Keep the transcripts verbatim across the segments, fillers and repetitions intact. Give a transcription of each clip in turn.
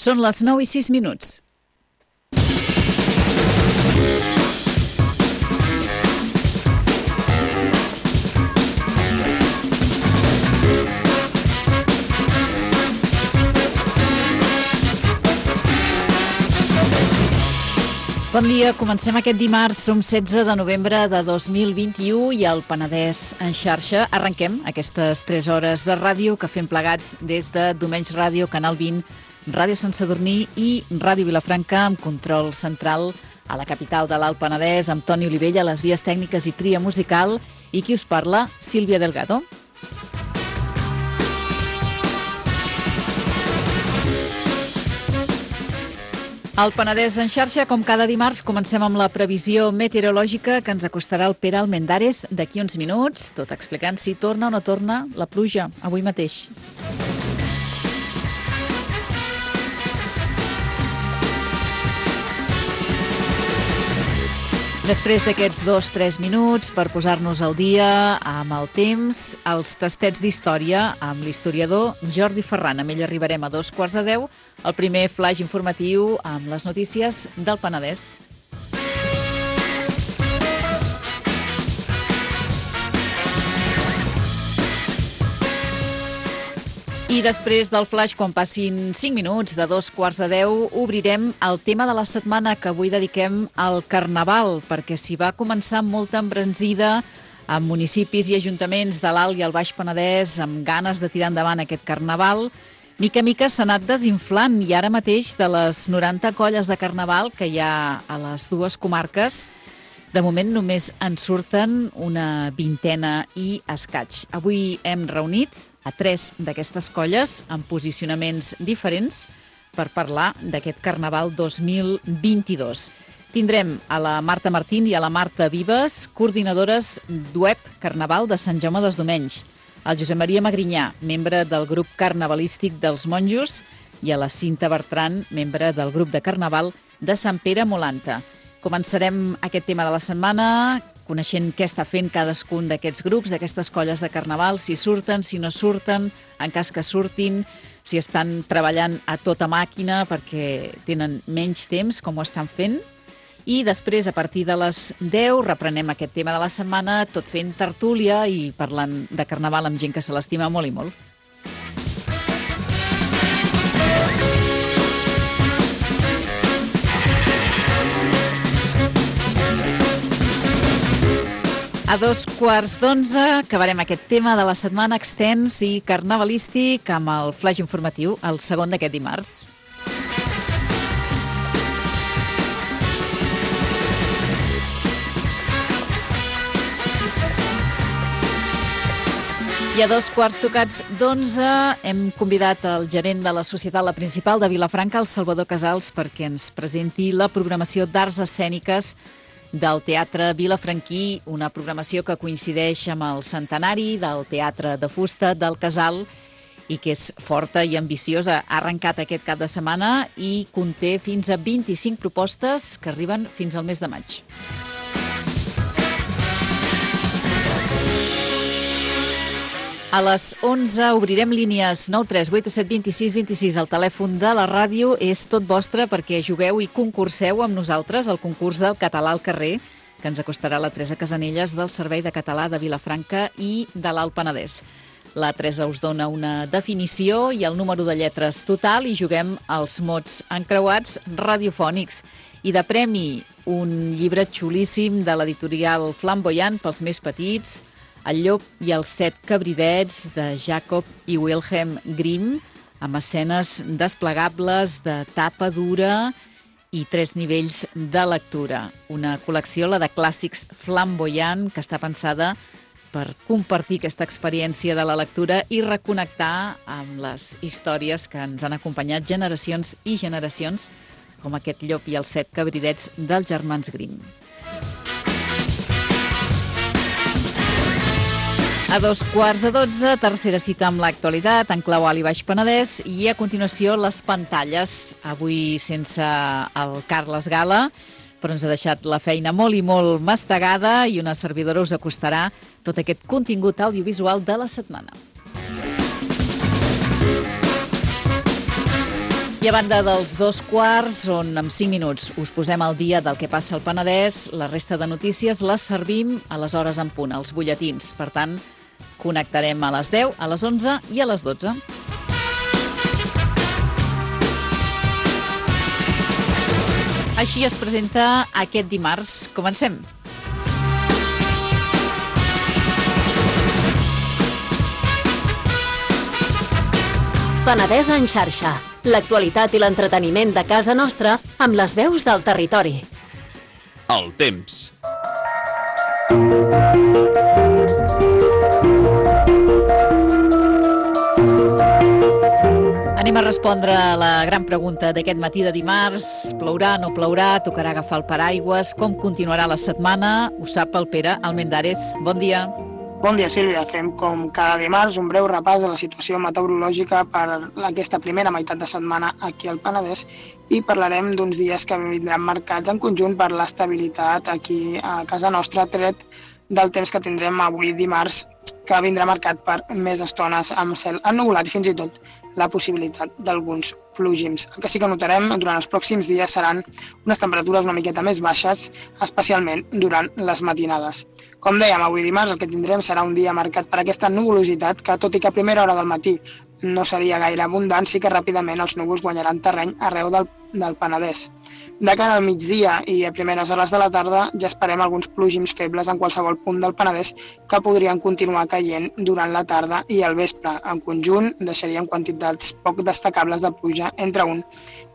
Són les nou i sis minuts. Bon dia, comencem aquest dimarts, som setze de novembre de dos mil vint-i-u i al Penedès en xarxa arrenquem aquestes tres hores de ràdio que fem plegats des de Domenys Ràdio, Canal vint, Ràdio Sant Sadurní i Ràdio Vilafranca amb control central a la capital de l'Alt Penedès, amb Toni Olivella, les vies tècniques i tria musical, i qui us parla, Sílvia Delgado. Al Penedès en xarxa, com cada dimarts, comencem amb la previsió meteorològica que ens acostarà el Pere Almendárez d'aquí uns minuts, tot explicant si torna o no torna la pluja avui mateix. Després d'aquests dos o tres minuts per posar-nos al dia amb el temps, els tastets d'història amb l'historiador Jordi Ferran. Amb ell arribarem a dos quarts de deu, el primer flash informatiu amb les notícies del Penedès. I després del flash, quan passin cinc minuts de dos quarts de deu, obrirem el tema de la setmana que avui dediquem al Carnaval, perquè s'hi va començar amb molta embranzida amb municipis i ajuntaments de l'Alt i el Baix Penedès, amb ganes de tirar endavant aquest Carnaval. Mica a mica s'ha anat desinflant i ara mateix de les noranta colles de Carnaval que hi ha a les dues comarques, de moment només en surten una vintena i escaig. Avui hem reunit a tres d'aquestes colles amb posicionaments diferents per parlar d'aquest Carnaval dos mil vint-i-dos. Tindrem a la Marta Martín i a la Marta Vives, coordinadores d'U E P Carnaval de Sant Jaume dels Domenys, el Josep Maria Magrinyà, membre del grup carnavalístic dels Monjos, i a la Cinta Bertran, membre del grup de Carnaval de Sant Pere Molanta. Començarem aquest tema de la setmana coneixent què està fent cadascun d'aquests grups, d'aquestes colles de Carnaval, si surten, si no surten, en cas que surtin, si estan treballant a tota màquina perquè tenen menys temps, com ho estan fent. I després, a partir de les deu, reprenem aquest tema de la setmana, tot fent tertúlia i parlant de Carnaval amb gent que se l'estima molt i molt. A dos quarts d'onze acabarem aquest tema de la setmana extens i carnavalístic amb el flash informatiu, el segon d'aquest dimarts. I a dos quarts tocats d'onze hem convidat el gerent de la Societat La Principal de Vilafranca, el Salvador Casals, perquè ens presenti la programació d'arts escèniques del Teatre Vilafranquí, una programació que coincideix amb el centenari del Teatre de Fusta del Casal i que és forta i ambiciosa. Ha arrencat aquest cap de setmana i conté fins a vint-i-cinc propostes que arriben fins al mes de maig. A les onze obrirem línies nou tres vuit set dos sis dos sis. El telèfon de la ràdio és tot vostre perquè jugueu i concurseu amb nosaltres al concurs del català al carrer, que ens acostarà la Teresa Casanelles del Servei de Català de Vilafranca i de l'Alt Penedès. La Teresa us dona una definició i el número de lletres total i juguem als mots encreuats radiofònics. I de premi, un llibre xulíssim de l'editorial Flamboyant pels més petits, El llop i els set cabridets, de Jacob i Wilhelm Grimm, amb escenes desplegables de tapa dura i tres nivells de lectura. Una col·lecció, la de clàssics Flamboyant, que està pensada per compartir aquesta experiència de la lectura i reconnectar amb les històries que ens han acompanyat generacions i generacions, com aquest llop i els set cabridets dels germans Grimm. A dos quarts de dotze, tercera cita amb l'actualitat en clau Alt i Baix Penedès i a continuació les pantalles, avui sense el Carles Gala, però ens ha deixat la feina molt i molt mastegada i una servidora us acostarà tot aquest contingut audiovisual de la setmana. I a banda dels dos quarts, on en cinc minuts us posem al dia del que passa al Penedès, la resta de notícies les servim a les hores en punt, als butlletins. Per tant, connectarem a les deu, a les onze i a les dotze. Així es presenta aquest dimarts. Comencem. Penedès en xarxa. L'actualitat i l'entreteniment de casa nostra amb les veus del territori. El temps. Anem a respondre a la gran pregunta d'aquest matí de dimarts. Plourà, no plourà? Tocarà agafar el paraigües? Com continuarà la setmana? Ho sap el Pere Almendárez. Bon dia. Bon dia, Sílvia. Fem, com cada dimarts, un breu repàs de la situació meteorològica per aquesta primera meitat de setmana aquí al Penedès i parlarem d'uns dies que vindran marcats en conjunt per l'estabilitat aquí a casa nostra, tret del temps que tindrem avui dimarts, que vindrà marcat per més estones amb cel ennuvolat i fins i tot la possibilitat d'alguns plogins. El que sí que notarem durant els pròxims dies seran unes temperatures una miqueta més baixes, especialment durant les matinades. Com dèiem, avui dimarts el que tindrem serà un dia marcat per aquesta nuvolositat que, tot i que a primera hora del matí no seria gaire abundant, sí que ràpidament els núvols guanyaran terreny arreu del, del Penedès. De cara al migdia i a primeres hores de la tarda ja esperem alguns plogins febles en qualsevol punt del Penedès que podrien continuar caient durant la tarda i al vespre. En conjunt deixarien quantitats poc destacables de pluja entre un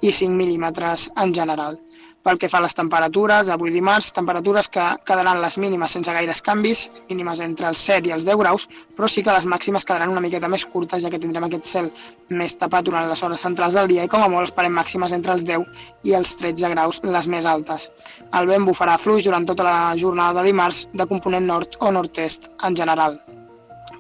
i cinc mil·límetres en general. Pel que fa a les temperatures, avui dimarts, temperatures que quedaran les mínimes sense gaires canvis, mínimes entre els set i els deu graus, però sí que les màximes quedaran una miqueta més curtes, ja que tindrem aquest cel més tapat durant les hores centrals del dia i com a molt esperem màximes entre els deu i els tretze graus, les més altes. El vent bufarà fluix durant tota la jornada de dimarts, de component nord o nord-est en general.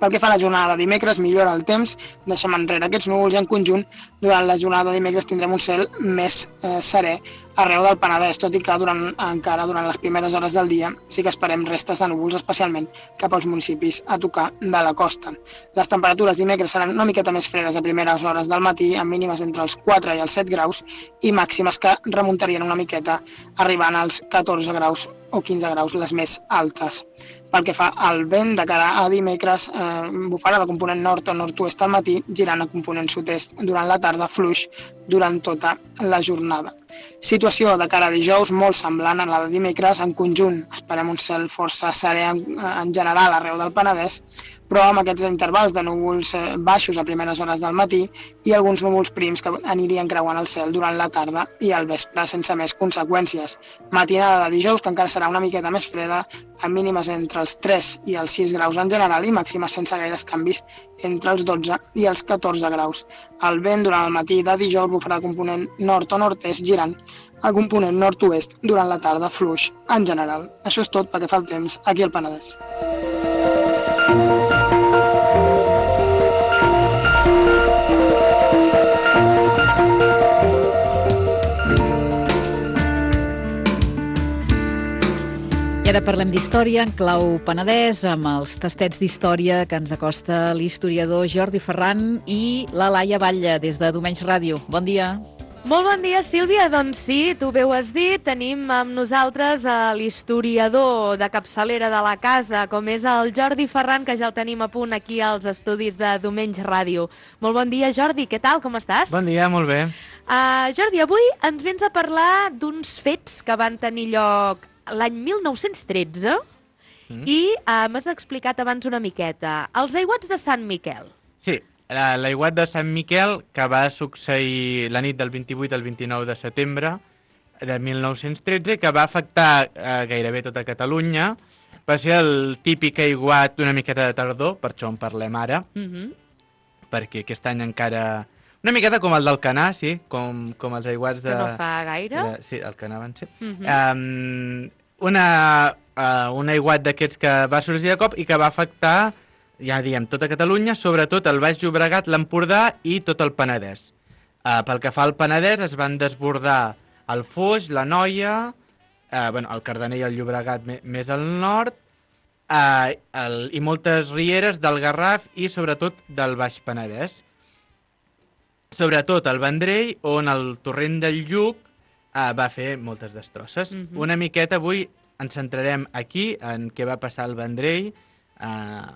Pel que fa a la jornada de dimecres, millora el temps, deixem enrere aquests núvols i en conjunt durant la jornada de dimecres tindrem un cel més eh, serè arreu del Penedès, tot i que durant, encara durant les primeres hores del dia sí que esperem restes de núvols, especialment cap als municipis a tocar de la costa. Les temperatures dimecres seran una miqueta més fredes a primeres hores del matí, amb mínimes entre els quatre i els set graus i màximes que remuntarien una miqueta arribant als catorze graus o quinze graus, les més altes. Pel que fa al vent, de cara a dimecres, eh, bufarà de component nord o nord-oest al matí, girant a component sud-est durant la tarda, fluix durant tota la jornada. Situació de cara a dijous molt semblant a la de dimecres, en conjunt esperem un cel força serè en, en general arreu del Penedès, però amb aquests intervals de núvols baixos a primeres hores del matí i alguns núvols prims que anirien creuant el cel durant la tarda i al vespre sense més conseqüències. Matinada de dijous, que encara serà una miqueta més freda, amb mínimes entre els tres i els sis graus en general i màximes sense gaires canvis entre els dotze i els catorze graus. El vent durant el matí de dijous bufarà de component nord o nord-est, girant a component nord-oest durant la tarda, fluix en general. Això és tot pel que fa al temps aquí al Penedès. I ara parlem d'història en clau Penedès, amb els tastets d'història que ens acosta l'historiador Jordi Ferran i la Laia Batlle, des de Domenys Ràdio. Bon dia. Molt bon dia, Sílvia. Doncs sí, tu bé ho has dit, tenim amb nosaltres l'historiador de capçalera de la casa, com és el Jordi Ferran, que ja el tenim a punt aquí als estudis de Domenys Ràdio. Molt bon dia, Jordi. Què tal? Com estàs? Bon dia, molt bé. Uh, Jordi, avui ens vens a parlar d'uns fets que van tenir lloc l'any mil nou-cents tretze mm. i uh, m'has explicat abans una miqueta. Els aiguats de Sant Miquel. Sí, l'aiguat de Sant Miquel, que va succeir la nit del vint-i-vuit al vint-i-nou de setembre de mil nou-cents tretze, que va afectar eh, gairebé tota Catalunya. Va ser el típic aiguat una miqueta de tardor, per això en parlem ara, mm-hmm. perquè aquest any encara... Una miqueta com el d'Alcanar, sí, com, com els aiguats de... Que no fa gaire. De, sí, Alcanar van ser. Mm-hmm. Um, una, uh, un aiguat d'aquests que va sorgir de cop i que va afectar, ja diem, tota Catalunya, sobretot el Baix Llobregat, l'Empordà i tot el Penedès. Uh, pel que fa al Penedès, es van desbordar el Foix, la Noia, uh, bueno, el Cardener i el Llobregat més al nord, uh, el, i moltes rieres del Garraf i sobretot del Baix Penedès. sobretot al Vendrell, on el torrent del Lluc eh, va fer moltes destrosses. Mhm. Una miqueta avui ens centrarem aquí, en què va passar al Vendrell, eh,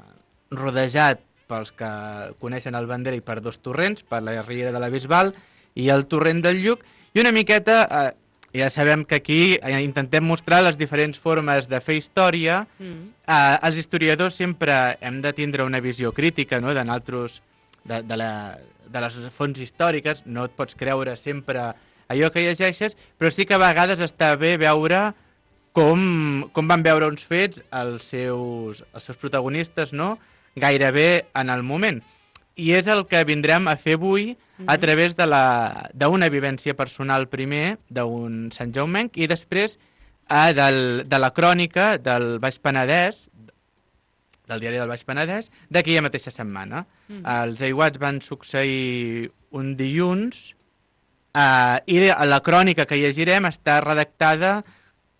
rodejat pels que coneixen el Vendrell per dos torrents, per la riera de la Bisbal i el torrent del Lluc, i una miqueta, eh, ja sabem que aquí eh, intentem mostrar les diferents formes de fer història. Mm. Eh, els historiadors sempre hem de tindre una visió crítica, no?, de nosaltres, de, de, la, de les fonts històriques, no et pots creure sempre allò que llegeixes, però sí que a vegades està bé veure com, com van veure uns fets els seus, els seus protagonistes, no?, gairebé en el moment. I és el que vindrem a fer avui mm-hmm. a través de la, d'una vivència personal primer, d'un Sant Jaumenc, i després eh, del, de la crònica del Baix Penedès, del diari del Baix Penedès, d'aquella mateixa setmana. Mm. Els aiguats van succeir un dilluns eh, i la crònica que llegirem està redactada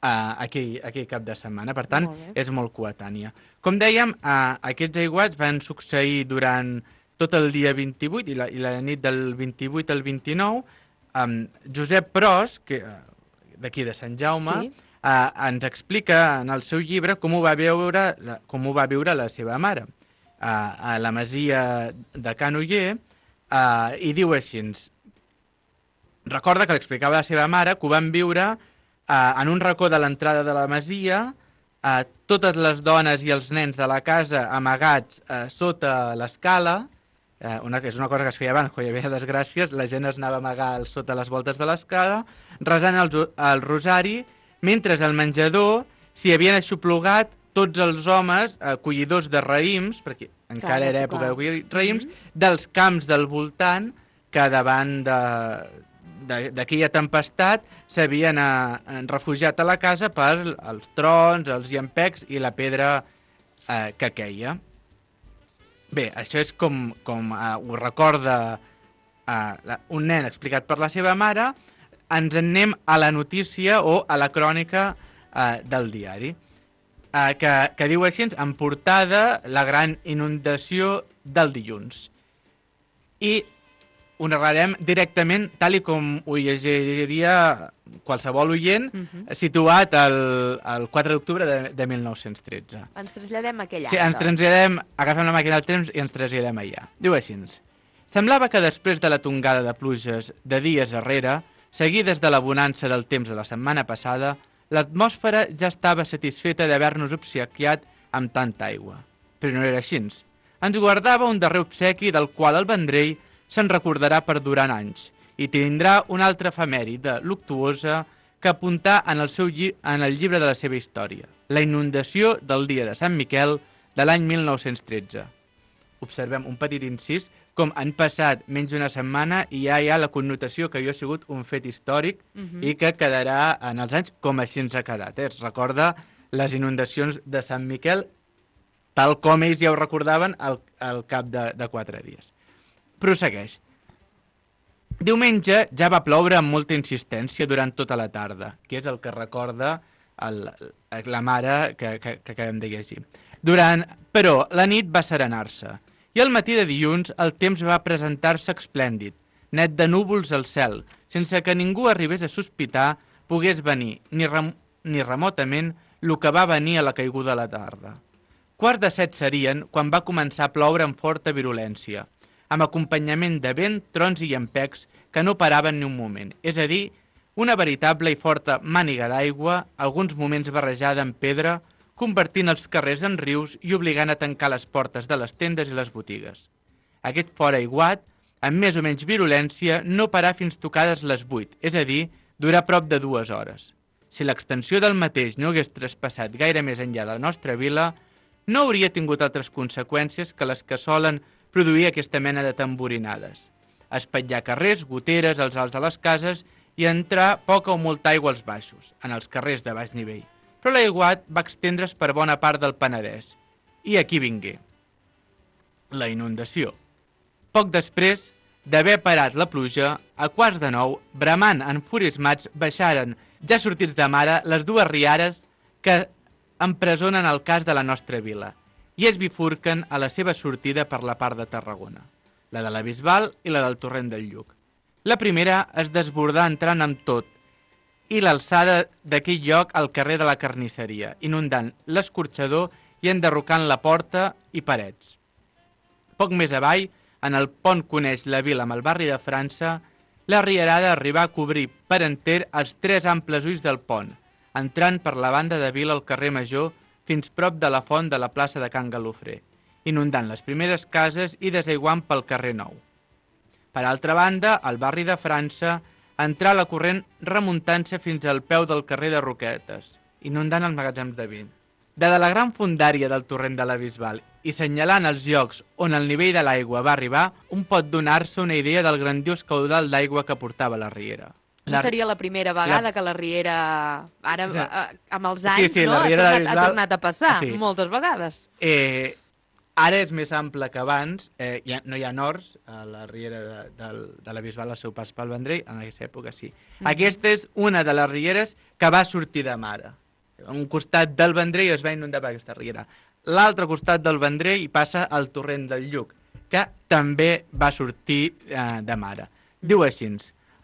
Uh, aquell, aquell cap de setmana, per tant, molt és molt coetània. Com dèiem, uh, aquests aiguats van succeir durant tot el dia vint-i-vuit i la, i la nit del vint-i-vuit al vint-i-nou. Um, Josep Pros, que, uh, d'aquí de Sant Jaume, sí. uh, ens explica en el seu llibre com ho va veure la, com ho va viure la seva mare uh, a la masia de Can Oller, uh, i diu així: recorda que l'explicava la seva mare que ho van viure Uh, en un racó de l'entrada de la masia, uh, totes les dones i els nens de la casa amagats uh, sota l'escala, uh, una, que és una cosa que es feia abans, quan hi havia desgràcies, la gent es anava a amagar sota les voltes de l'escala, resant el, el rosari, mentre al menjador s'hi havien aixoplugat tots els homes uh, collidors de raïms, perquè encara clar, era època de collir raïms, mm-hmm. dels camps del voltant, que davant de... d'aquella tempestat s'havien eh, refugiat a la casa per els trons, els llampecs i la pedra eh, que queia. Bé, això és com, com eh, ho recorda eh, un nen explicat per la seva mare. Ens en anem a la notícia o a la crònica eh, del diari, eh, que, que diu així, en portada, la gran inundació del dilluns. I ho narrarem directament, tal i com ho llegiria qualsevol oient, uh-huh. situat el, el quatre d'octubre de, de mil nou-cents tretze. Ens traslladem a aquell any. Sí, ens traslladem, agafem la màquina del temps i ens traslladem allà. Diu així: semblava que després de la tongada de pluges de dies arrere, seguides de la bonança del temps de la setmana passada, l'atmosfera ja estava satisfeta d'haver-nos obsequiat amb tanta aigua. Però no era així. Ens guardava un darrer obsequi del qual el Vendrell se'n recordarà per durant anys i tindrà una altra efemèride luctuosa que apuntar en el, seu lli en el llibre de la seva història, la inundació del dia de Sant Miquel de l'any mil nou-cents tretze. Observem un petit incís, com han passat menys d'una setmana i ja hi ha la connotació que jo ha sigut un fet històric uh-huh. i que quedarà en els anys com així ens ha quedat. Eh? Es recorda les inundacions de Sant Miquel tal com ells ja ho recordaven al, al cap de, de quatre dies. Prossegueix. Diumenge ja va ploure amb molta insistència durant tota la tarda, que és el que recorda el, la mare que, que, que acabem de llegir. Durant, però la nit va serenar-se i al matí de dilluns el temps va presentar-se esplèndid, net de núvols al cel, sense que ningú arribés a sospitar pogués venir, ni, rem, ni remotament, el que va venir a la caiguda de la tarda. Quart de set serien quan va començar a ploure amb forta virulència, amb acompanyament de vent, trons i llampecs que no paraven ni un moment. És a dir, una veritable i forta màniga d'aigua, alguns moments barrejada amb pedra, convertint els carrers en rius i obligant a tancar les portes de les tendes i les botigues. Aquest fort aiguat, amb més o menys virulència, no parà fins tocades les vuit, és a dir, durà prop de dues hores. Si l'extensió del mateix no hagués traspassat gaire més enllà de la nostra vila, no hauria tingut altres conseqüències que les que solen produir aquesta mena de tamborinades. Espatllar carrers, goteres, als alts de les cases i entrar poca o molta aigua als baixos, en els carrers de baix nivell. Però l'aiguat va extendre's per bona part del Penedès. I aquí vingué la inundació. Poc després d'haver parat la pluja, a quarts de nou, bramant enfurismats, baixaren, ja sortits de mare, les dues riares que empresonen el cas de la nostra vila i es bifurquen a la seva sortida per la part de Tarragona. la de la Bisbal i la del Torrent del Lluc. La primera es desbordà entrant amb tot i l'alçada d'aquell lloc al carrer de la Carnisseria, inundant l'escorxador i enderrocant la porta i parets. Poc més avall, en el pont que uneix la vila amb el barri de França, la rierada arribà a cobrir per enter els tres amples ulls del pont, entrant per la banda de vila al carrer Major fins prop de la font de la plaça de Can Galofrer, inundant les primeres cases i desaiguant pel carrer Nou. Per altra banda, al barri de França, entrà la corrent remuntant-se fins al peu del carrer de Roquetes, inundant els magatzems de vi. De la gran fondària del torrent de la Bisbal i senyalant els llocs on el nivell de l'aigua va arribar, un pot donar-se una idea del grandiós caudal d'aigua que portava la riera. La... No seria la primera vegada la... que la riera, ara sí. amb els anys, sí, sí, no? la ha, tornat, Bisbal... ha tornat a passar sí. moltes vegades. Eh, ara és més ample que abans, eh, ja, no hi ha horts a la riera de, de, de la Bisbal al seu pas pel Vendrell, en aquesta època sí. Mm-hmm. Aquesta és una de les rieres que va sortir de mare. Un costat del Vendrell es va inundar per aquesta riera. L'altre costat del Vendrell hi passa el torrent del Lluc, que també va sortir eh, de mare. Diu així,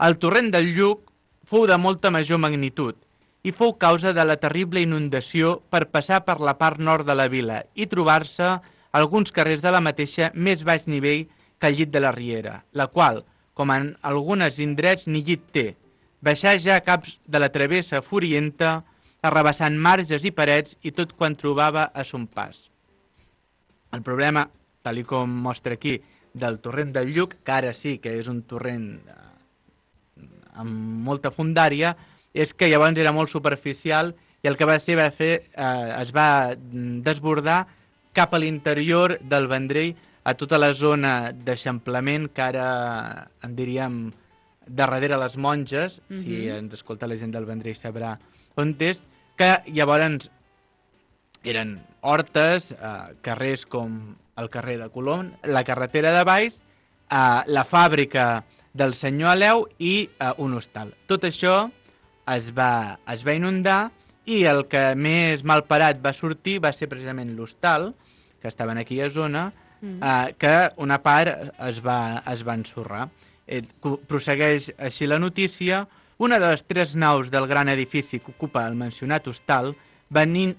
el torrent del Lluc fou de molta major magnitud i fou causa de la terrible inundació per passar per la part nord de la vila i trobar-se alguns carrers de la mateixa més baix nivell que el llit de la riera, la qual, com en algunes indrets, ni llit té, baixar ja a caps de la travessa furienta, arrabassant marges i parets i tot quan trobava a son pas. El problema, tal com mostra aquí, del torrent del Lluc, que ara sí que és un torrent amb molta fondària, és que llavors era molt superficial i el que va ser va fer, eh, es va desbordar cap a l'interior del Vendrell, a tota la zona d'eixamplament que ara en diríem darrere les monges, mm-hmm. si ens escolta la gent del Vendrell sabrà on és, que llavors eren hortes, eh, carrers com el carrer de Colom, la carretera de Baix, eh, la fàbrica del senyor Aleu i eh, un hostal. Tot això es va, es va inundar i el que més malparat va sortir va ser precisament l'hostal, que estava en aquella zona, mm. eh, que una part es va, es va ensorrar. Eh, prossegueix així la notícia. Una de les tres naus del gran edifici que ocupa el mencionat hostal, venint,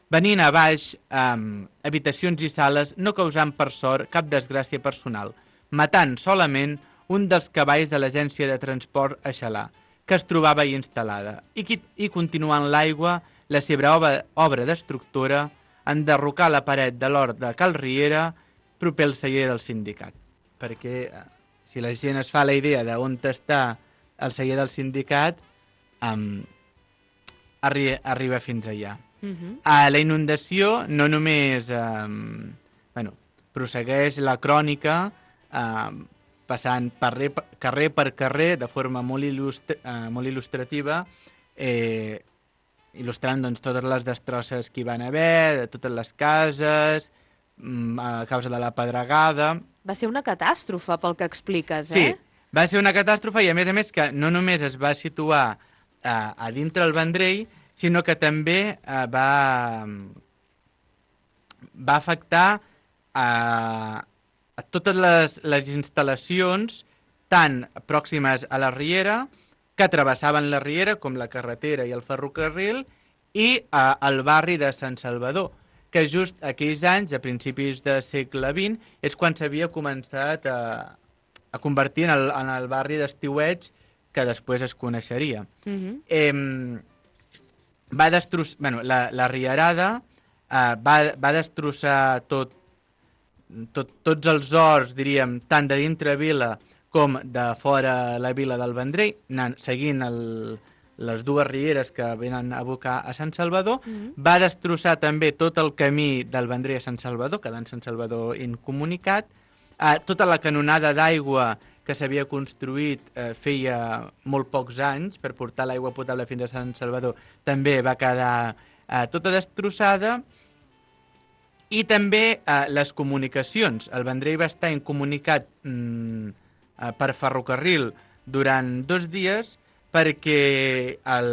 venint a baix amb eh, habitacions i sales, no causant per sort cap desgràcia personal, matant solament un dels cavalls de l'agència de transport a Xalà, que es trobava hi instal·lada, i, i continuant l'aigua la seva obra, obra d'estructura, enderrocar la paret de l'hort de Cal Riera, proper al celler del sindicat. Perquè eh, si la gent es fa la idea d'on està el celler del sindicat, um, arri arriba fins allà. Uh-huh. A la inundació no només um, bueno, prossegueix la crònica um, passant per carrer per carrer de forma molt, il·lustra uh, molt il·lustrativa, eh, il·lustrant doncs, totes les destrosses que hi van haver, de totes les cases, um, a causa de la pedregada. Va ser una catàstrofe pel que expliques, sí. eh? Va ser una catàstrofe i, a més a més, que no només es va situar eh, a dintre el Vendrell, sinó que també eh, va, va afectar a, a totes les, les instal·lacions tan pròximes a la riera, que travessaven la riera, com la carretera i el ferrocarril, i eh, el barri de Sant Salvador, que just aquells anys, a principis del segle vint, és quan s'havia començat a a convertir en el, en el barri d'estiueig que després es coneixeria. Uh-huh. eh, va destrossar, bueno, la, la rierada eh, va, va destrossar tot, tot, tots els horts, diríem, tant de dintre vila com de fora la vila del Vendrell, anant, seguint el, les dues rieres que venen a abocar a Sant Salvador. Uh-huh. Va destrossar també tot el camí del Vendrell a Sant Salvador, quedant Sant Salvador incomunicat. Uh, tota la canonada d'aigua que s'havia construït eh, feia molt pocs anys per portar l'aigua potable fins a Sant Salvador també va quedar eh, tota destrossada, i també eh, les comunicacions. El Vendrell va estar incomunicat mm, eh, per ferrocarril durant dos dies perquè el,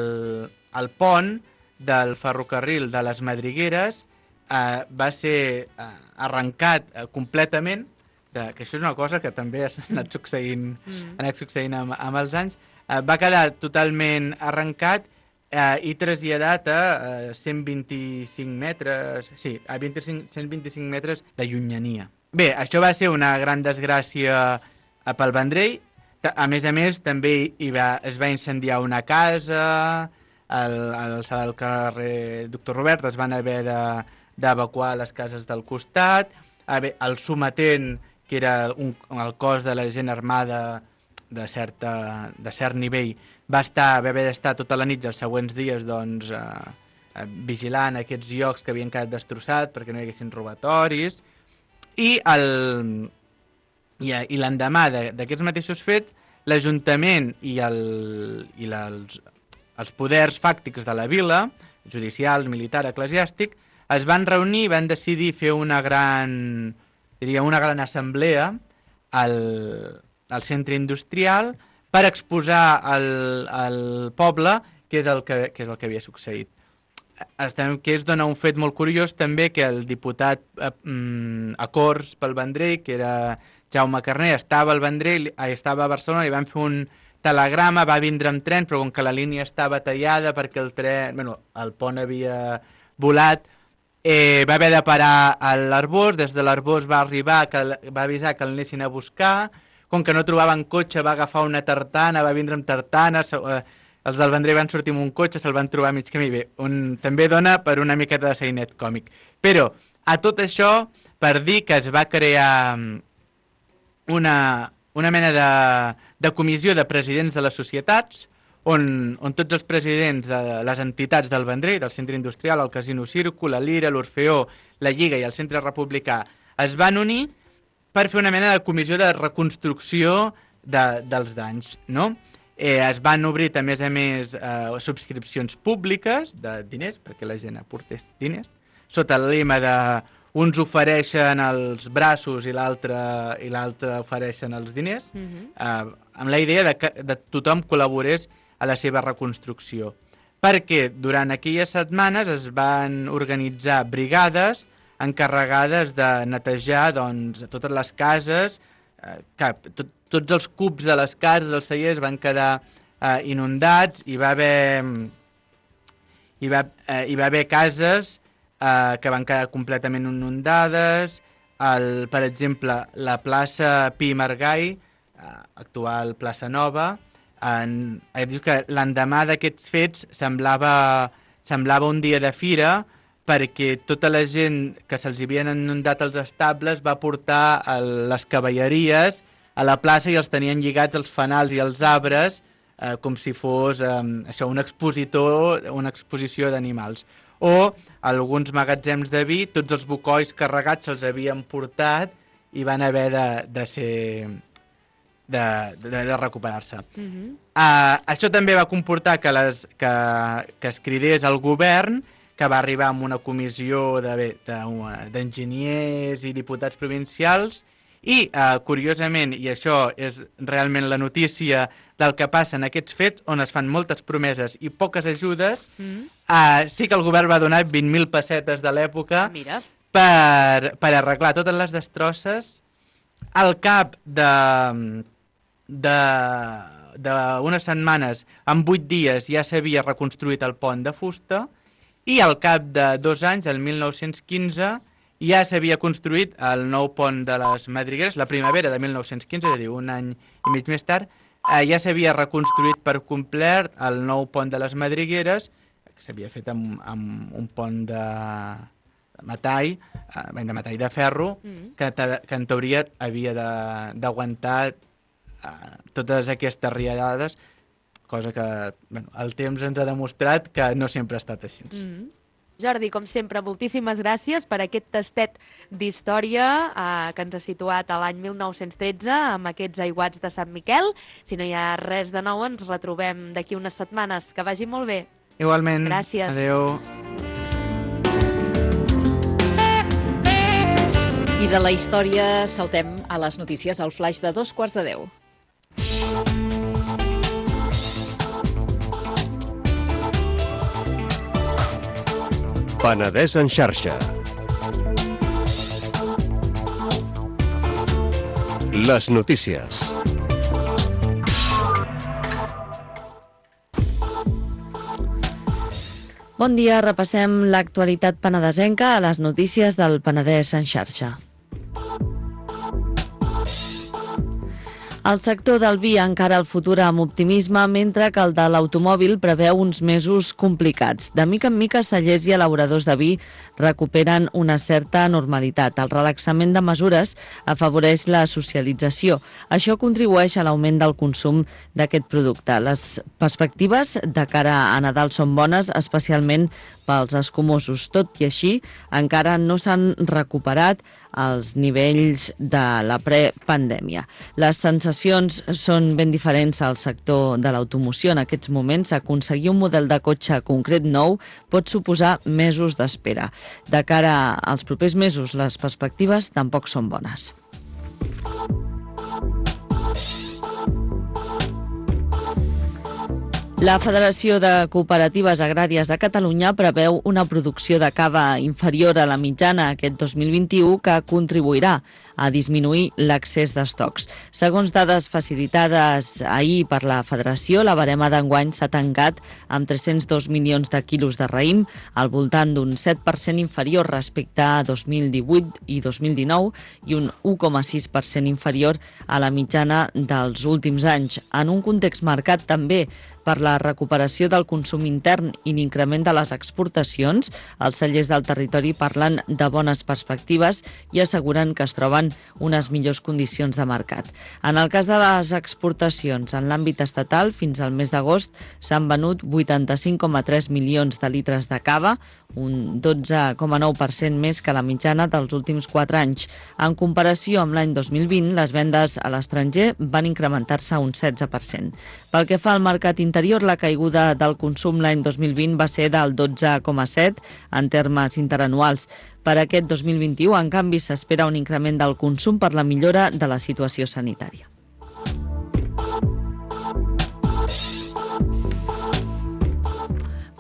el pont del ferrocarril de les Madrigueres eh, va ser eh, arrencat eh, completament de, que això és una cosa que també ha anat succeint, mm. ha anat succeint amb, amb els anys, eh, va quedar totalment arrencat eh, i traslladat a eh, cent vint-i-cinc metres, sí, a vint-i-cinc, cent vint-i-cinc metres de llunyania. Bé, això va ser una gran desgràcia pel Vendrell. A més a més, també hi va, es va incendiar una casa, al, al sala del carrer Doctor Robert es van haver d'evacuar de, les cases del costat, el sometent, que era un, el cos de la gent armada de, certa, de cert nivell, va, estar, va haver d'estar tota la nit els següents dies doncs, eh, vigilant aquests llocs que havien quedat destrossats perquè no hi haguessin robatoris. I el, i, i l'endemà d'aquests mateixos fets, l'Ajuntament i, el, i la, els, els poders fàctics de la vila, judicial, militar, eclesiàstic, es van reunir i van decidir fer una gran, diria, una gran assemblea al, al centre industrial per exposar al, al poble què és el que, què és el que havia succeït. Que es dona un fet molt curiós també, que el diputat eh, a Corts pel Vendrell, que era Jaume Carner, estava al Vendrell, estava a Barcelona, i van fer un telegrama, va vindre amb tren, però com que la línia estava tallada perquè el tren, bueno, el pont havia volat, eh, va haver de parar a l'Arbós, des de l'Arbós va arribar, que, va avisar que l'anessin a buscar, com que no trobaven cotxe va agafar una tartana, va vindre amb tartana, eh, els del Vendrell van sortir amb un cotxe, se'l van trobar a mig camí. Bé, un, també dona per una miqueta de sainet còmic. Però, a tot això, per dir que es va crear una, una mena de, de comissió de presidents de les societats, on, on tots els presidents de les entitats del Vendrell, del Centre Industrial, el Casino Círcul, la Lira, l'Orfeó, la Lliga i el Centre Republicà, es van unir per fer una mena de comissió de reconstrucció de, dels danys, no? Eh, es van obrir, a més a més, eh, subscripcions públiques de diners, perquè la gent aportés diners, sota el lema de uns ofereixen els braços i l'altre i l'altre ofereixen els diners, mm-hmm. eh, amb la idea de que de tothom col·laborés a la seva reconstrucció. Perquè durant aquelles setmanes es van organitzar brigades encarregades de netejar doncs, totes les cases, eh, que tot, tots els cubs de les cases, els cellers, van quedar eh, inundats, i va haver, hi va, eh, hi va haver cases eh, que van quedar completament inundades. El, per exemple, la plaça Pi i Margall, eh, actual plaça Nova, en, eh, diu que l'endemà d'aquests fets semblava, semblava un dia de fira, perquè tota la gent que se'ls havien inundat els estables va portar el, les cavalleries a la plaça i els tenien lligats als fanals i als arbres, eh, com si fos eh, això, un expositor, una exposició d'animals. O alguns magatzems de vi, tots els bocois carregats se'ls havien portat i van haver de, de ser de, de, de recuperar-se. Mm-hmm. eh, això també va comportar que, les, que, que es cridés al govern, que va arribar amb una comissió d'enginyers i diputats provincials. I, eh, curiosament, i això és realment la notícia del que passa en aquests fets, on es fan moltes promeses i poques ajudes, mm. eh, sí que el govern va donar vint mil pessetes de l'època per, per arreglar totes les destrosses. Al cap de d'unes setmanes, en vuit dies, ja s'havia reconstruït el pont de fusta, i al cap de dos anys, el mil nou-cents quinze, ja s'havia construït el nou pont de les Madrigueres, la primavera de mil nou-cents quinze, és a dir, un any i mig més tard, eh, ja s'havia reconstruït per complet el nou pont de les Madrigueres, que s'havia fet amb, amb un pont de metall, eh, de metall de ferro, mm. que, que en teoria havia d'aguantar eh, totes aquestes riallades, cosa que bueno, el temps ens ha demostrat que no sempre ha estat així. Mm. Jordi, com sempre, moltíssimes gràcies per aquest tastet d'història eh, que ens ha situat a l'any mil nou-cents tretze amb aquests aiguats de Sant Miquel. Si no hi ha res de nou, ens retrobem d'aquí unes setmanes. Que vagi molt bé. Igualment. Gràcies. Adéu. I de la història saltem a les notícies al flaix de dos quarts de deu. Penedès en xarxa. Les notícies. Bon dia, repassem l'actualitat penedesenca a les notícies del Penedès en xarxa. El sector del vi encara el futur amb optimisme, mentre que el de l'automòbil preveu uns mesos complicats. De mica en mica, cellers i elaboradors de vi recuperen una certa normalitat. El relaxament de mesures afavoreix la socialització. Això contribueix a l'augment del consum d'aquest producte. Les perspectives de cara a Nadal són bones, especialment pels escumosos. Tot i així, encara no s'han recuperat els nivells de la prepandèmia. Les sensacions són ben diferents al sector de l'automoció. En aquests moments, aconseguir un model de cotxe concret nou pot suposar mesos d'espera. De cara als propers mesos, les perspectives tampoc són bones. La Federació de Cooperatives Agràries de Catalunya preveu una producció de cava inferior a la mitjana aquest dos mil vint-i-u que contribuirà a disminuir l'excés d'estocs. Segons dades facilitades ahir per la Federació, la barema d'enguany s'ha tancat amb tres-cents dos milions de quilos de raïm, al voltant d'un set per cent inferior respecte a dos mil divuit i dos mil dinou i un u coma sis per cent inferior a la mitjana dels últims anys. En un context marcat també per la recuperació del consum intern i l'increment de les exportacions, els cellers del territori parlen de bones perspectives i asseguren que es troben unes millors condicions de mercat. En el cas de les exportacions, en l'àmbit estatal, fins al mes d'agost s'han venut vuitanta-cinc coma tres milions de litres de cava, un dotze coma nou per cent més que la mitjana dels últims quatre anys. En comparació amb l'any dos mil vint, les vendes a l'estranger van incrementar-se un setze per cent. Pel que fa al mercat interior, la caiguda del consum l'any dos mil vint va ser del dotze coma set en termes interanuals. Per aquest dos mil vint-i-u, en canvi, s'espera un increment del consum per la millora de la situació sanitària.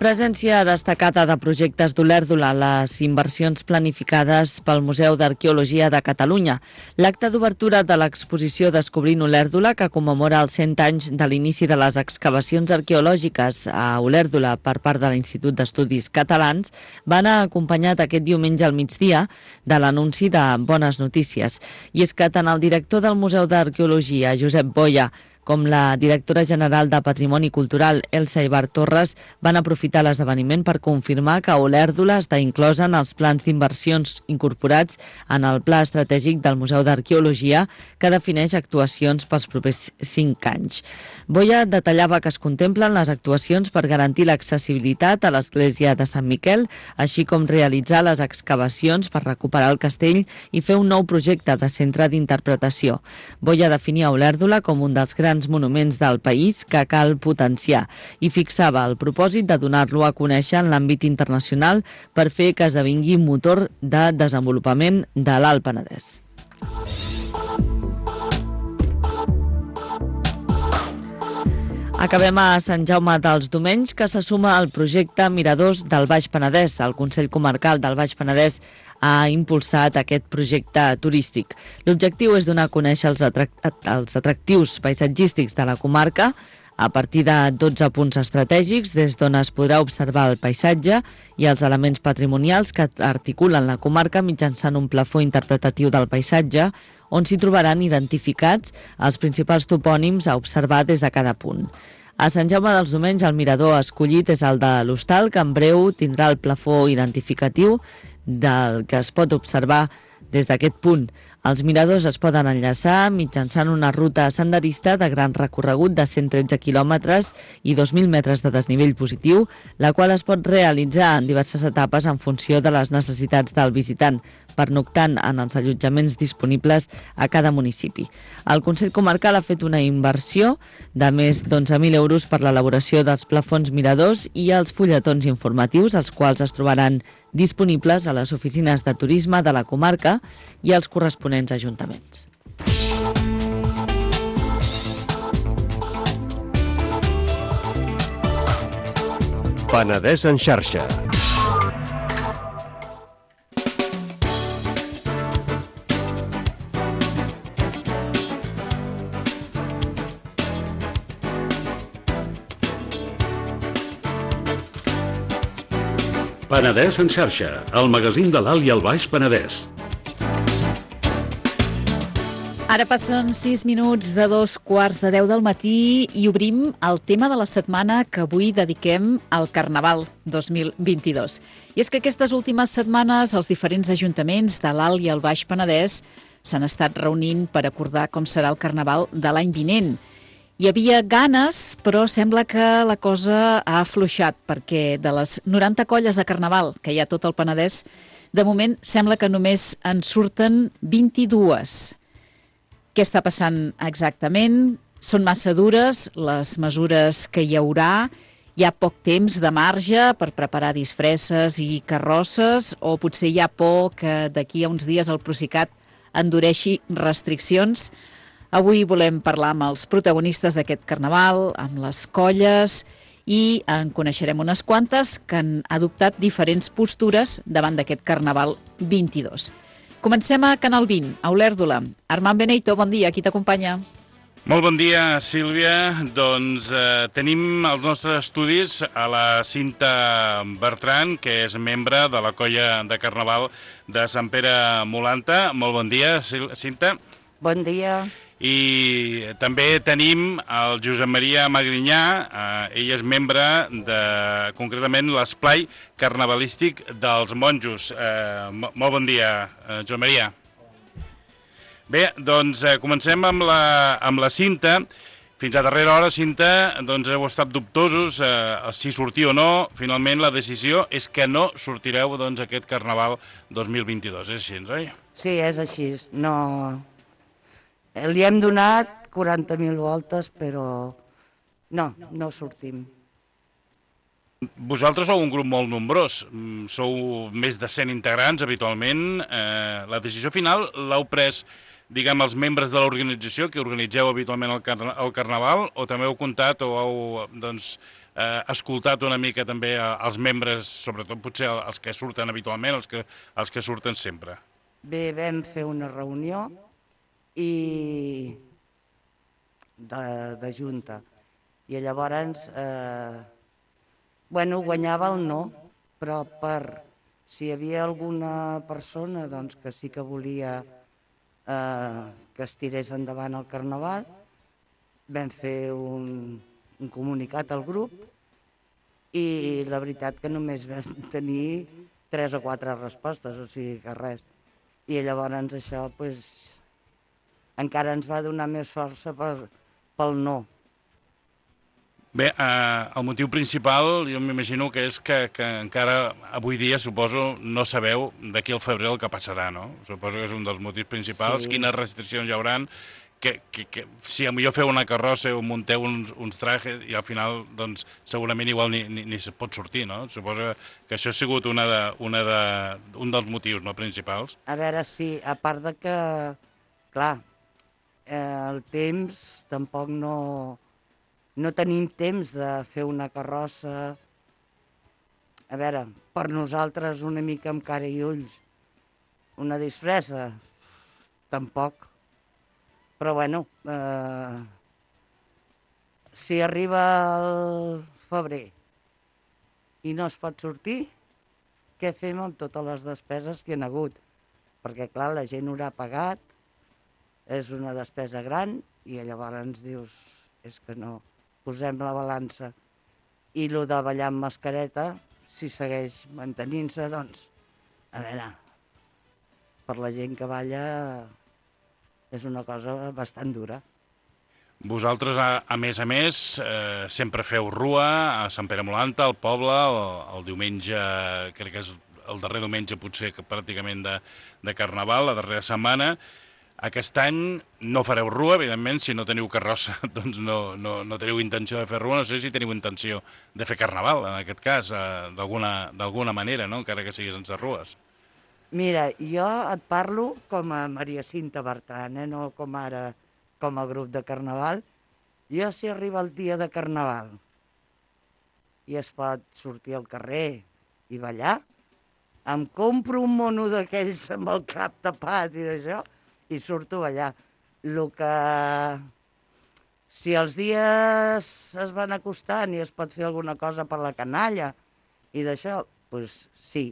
Presència destacada de projectes d'Olèrdola a les inversions planificades pel Museu d'Arqueologia de Catalunya. L'acte d'obertura de l'exposició Descobrint Olèrdola, que commemora els cent anys de l'inici de les excavacions arqueològiques a Olèrdola per part de l'Institut d'Estudis Catalans, va anar acompanyat aquest diumenge al migdia de l'anunci de bones notícies. I és que tant el director del Museu d'Arqueologia, Josep Boya, com la directora general de Patrimoni Cultural, Elsa Ibar Torres, van aprofitar l'esdeveniment per confirmar que Olèrdola està inclosa en els plans d'inversions incorporats en el Pla Estratègic del Museu d'Arqueologia, que defineix actuacions pels propers cinc anys. Boya detallava que es contemplen les actuacions per garantir l'accessibilitat a l'església de Sant Miquel, així com realitzar les excavacions per recuperar el castell i fer un nou projecte de centre d'interpretació. Boya definia Olèrdola com un dels grans monuments del país que cal potenciar i fixava el propòsit de donar-lo a conèixer en l'àmbit internacional per fer que esdevingui motor de desenvolupament de l'Alt Penedès. Acabem a Sant Jaume dels Domenys, que se suma al projecte Miradors del Baix Penedès. El Consell Comarcal del Baix Penedès ha impulsat aquest projecte turístic. L'objectiu és donar a conèixer els, atrac- els atractius paisatgístics de la comarca a partir de dotze punts estratègics des d'on es podrà observar el paisatge i els elements patrimonials que articulen la comarca mitjançant un plafó interpretatiu del paisatge on s'hi trobaran identificats els principals topònims a observar des de cada punt. A Sant Jaume dels Domenys, el mirador escollit és el de l'Hostal, que en breu tindrà el plafó identificatiu del que es pot observar des d'aquest punt. Els miradors es poden enllaçar mitjançant una ruta senderista de gran recorregut de cent tretze quilòmetres i dos mil metres de desnivell positiu, la qual es pot realitzar en diverses etapes en funció de les necessitats del visitant, pernoctant en els allotjaments disponibles a cada municipi. El Consell Comarcal ha fet una inversió de més d'onze mil euros per l'elaboració dels plafons miradors i els fulletons informatius, els quals es trobaran disponibles a les oficines de turisme de la comarca i als corresponents ajuntaments. Penedès en xarxa. Penedès en xarxa, el magazín de l'Alt i el Baix Penedès. Ara passen sis minuts de dos quarts de deu del matí i obrim el tema de la setmana que avui dediquem al Carnaval dos mil vint-i-dos. I és que aquestes últimes setmanes els diferents ajuntaments de l'Alt i el Baix Penedès s'han estat reunint per acordar com serà el Carnaval de l'any vinent. Hi havia ganes, però sembla que la cosa ha afluixat, perquè de les noranta colles de Carnaval que hi ha a tot el Penedès, de moment sembla que només en surten vint-i-dues. Què està passant exactament? Són massa dures les mesures que hi haurà? Hi ha poc temps de marge per preparar disfresses i carrosses? O potser hi ha por que d'aquí a uns dies el Procicat endureixi restriccions? Avui volem parlar amb els protagonistes d'aquest Carnaval, amb les colles, i en coneixerem unes quantes que han adoptat diferents postures davant d'aquest Carnaval vint-i-dos. Comencem a Canal vint, a Olèrdola. Armand Beneito, bon dia, qui t'acompanya? Molt bon dia, Sílvia. Doncs eh, tenim els nostres estudis a la Cinta Bertran, que és membre de la colla de Carnaval de Sant Pere Molanta. Molt bon dia, Cinta. Bon dia. I també tenim el Josep Maria Magrinyà, eh, ell és membre de, concretament, l'esplai carnavalístic dels monjos. Eh, molt bon dia, eh, Josep Maria. Bé, doncs eh, comencem amb la, amb la Cinta. Fins a darrera hora, Cinta, doncs heu estat dubtosos eh, si sortir o no. Finalment, la decisió és que no sortireu doncs, aquest Carnaval dos mil vint-i-dos. És així, oi? Sí, és així. No... Li hem donat quaranta mil voltes, però no, no sortim. Vosaltres sou un grup molt nombrós, sou més de cent integrants habitualment. Eh, la decisió final l'heu pres, diguem, els membres de l'organització que organitzeu habitualment el, carna el Carnaval, o també heu comptat o heu doncs, eh, escoltat una mica també els membres, sobretot potser els que surten habitualment, els que, els que surten sempre? Bé, vam fer una reunió i de, de junta, i llavors eh, bueno, guanyava el no, però per si hi havia alguna persona doncs, que sí que volia eh, que es tirés endavant el Carnaval, vam fer un, un comunicat al grup i la veritat que només vam tenir tres o quatre respostes, o sigui que res, i llavors això pues, encara ens va donar més força per, pel no. Bé, eh, el motiu principal, jo m'imagino que és que, que encara avui dia, suposo, no sabeu d'aquí al febrer el que passarà, no? Suposo que és un dels motius principals. Sí. Quines restriccions hi haurà, que, que, que si millor feu una carrossa o munteu uns, uns trajes i al final, doncs, segurament igual ni, ni, ni se pot sortir, no? Suposo que això ha sigut una de, una de, un dels motius, no, principals. A veure, sí, a part de que, clar, Eh, el temps, tampoc no, no tenim temps de fer una carrossa. A veure, per nosaltres una mica amb cara i ulls. Una disfressa, tampoc. Però bueno, eh, si arriba el febrer i no es pot sortir, què fem amb totes les despeses que hi ha hagut? Perquè clar, la gent haurà pagat, és una despesa gran, i llavors ens dius, és que no, posem la balança. I el de ballar amb mascareta, si segueix mantenint-se, doncs, a veure, per la gent que balla és una cosa bastant dura. Vosaltres, a, a més a més, eh, sempre feu rua a Sant Pere Molanta, al poble, el, el diumenge, crec que és el darrer diumenge potser que pràcticament de, de Carnaval, la darrera setmana. Aquest any no fareu rua, evidentment, si no teniu carrossa, doncs no, no, no teniu intenció de fer rua, no sé si teniu intenció de fer Carnaval, en aquest cas, eh, d'alguna manera, no? Encara que sigui sense rues. Mira, jo et parlo com a Maria Cinta Bertran, eh? No com ara com a grup de Carnaval. Jo, si arriba el dia de Carnaval i es pot sortir al carrer i ballar, em compro un mono d'aquells amb el cap tapat i d'això, i surto allà. El que... Si els dies es van acostant i es pot fer alguna cosa per la canalla i d'això, doncs sí,